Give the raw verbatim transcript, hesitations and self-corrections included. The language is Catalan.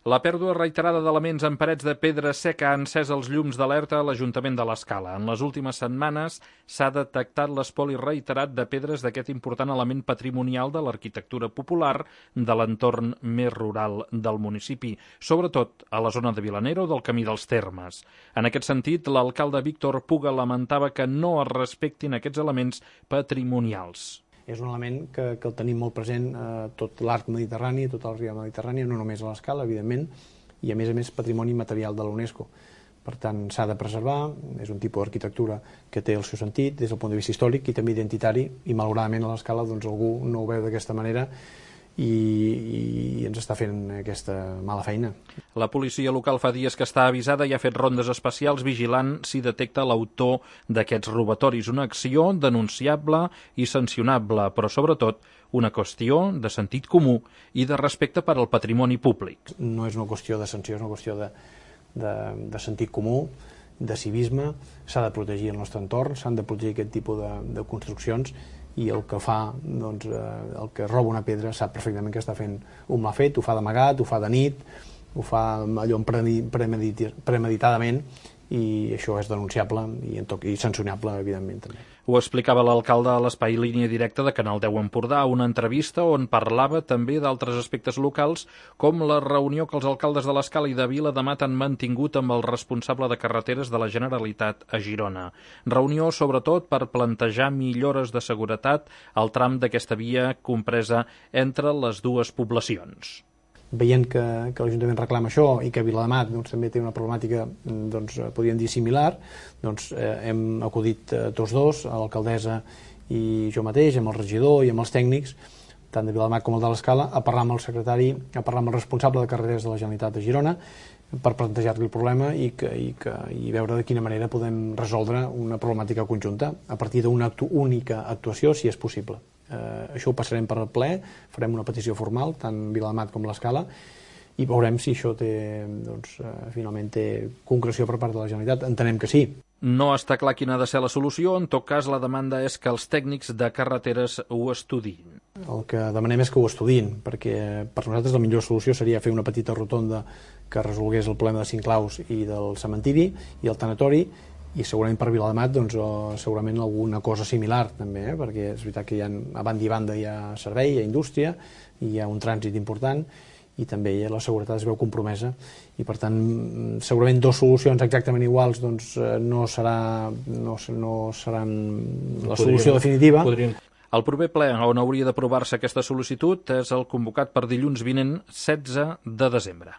La pèrdua reiterada d'elements en parets de pedra seca ha encès els llums d'alerta a l'Ajuntament de l'Escala. En les últimes setmanes s'ha detectat l'espoli reiterat de pedres d'aquest important element patrimonial de l'arquitectura popular de l'entorn més rural del municipi, sobretot a la zona de Vilanera o del Camí dels Termes. En aquest sentit, l'alcalde Víctor Puga lamentava que no es respectin aquests elements patrimonials. És un element que, que el tenim molt present a tot l'arc mediterrani, a tota la riba mediterrània, no només a l'Escala, evidentment, i a més a més patrimoni material de l'UNESCO. Per tant, s'ha de preservar, és un tipus d'arquitectura que té el seu sentit des del punt de vista històric i també identitari, i malauradament a l'Escala doncs, algú no ho veu d'aquesta manera i, i ens està fent aquesta mala feina. La policia local fa dies que està avisada i ha fet rondes especials vigilant si detecta l'autor d'aquests robatoris. Una acció denunciable i sancionable, però sobretot una qüestió de sentit comú i de respecte per al patrimoni públic. No és una qüestió de sanció, és una qüestió de, de, de sentit comú, de civisme. S'ha de protegir el nostre entorn, s'han de protegir aquest tipus de, de construccions, i el que fa, doncs, el que roba una pedra sap perfectament que està fent un mal fet, ho fa d'amagat, ho fa de nit, ho fa allò premeditadament, i això és denunciable i, i sancionable, evidentment, també. Ho explicava l'alcalde a l'espai Línia Directa de Canal deu Empordà, una entrevista on parlava també d'altres aspectes locals, com la reunió que els alcaldes de l'Escala i de Vilademat han mantingut amb el responsable de carreteres de la Generalitat a Girona. Reunió, sobretot, per plantejar millores de seguretat al tram d'aquesta via compresa entre les dues poblacions. Veient que, que l'Ajuntament reclama això i que Vilademat doncs, també té una problemàtica, doncs, podríem dir, similar, doncs, eh, hem acudit eh, tots dos, l'alcaldessa i jo mateix, amb el regidor i amb els tècnics, tant de Vilademat com el de l'Escala, a parlar amb el secretari, a parlar amb el responsable de carreteres de la Generalitat de Girona, per plantejar-li el problema i, que, i, que, i veure de quina manera podem resoldre una problemàtica conjunta a partir d'una actu única actuació, si és possible. Eh, això ho passarem per al ple, farem una petició formal, tant Vilademat com l'Escala, i veurem si això té, doncs, eh, finalment té concreció per part de la Generalitat. Entenem que sí. No està clar quina ha de ser la solució, en tot cas la demanda és que els tècnics de carreteres ho estudiïn. El que demanem és que ho estudiïn, perquè per nosaltres la millor solució seria fer una petita rotonda que resolgués el problema de Cinclaus i del cementiri i el tanatori, i segurament per Vilademat doncs, segurament alguna cosa similar també, eh? Perquè és veritat que hi ha, a banda i banda hi ha servei, hi ha indústria, hi ha un trànsit important i també la seguretat es veu compromesa i per tant segurament dues solucions exactament iguals doncs, no, serà, no, no seran la solució definitiva. Podríem. El proper ple on hauria d'aprovar-se aquesta sol·licitud és el convocat per dilluns vinent setze de desembre.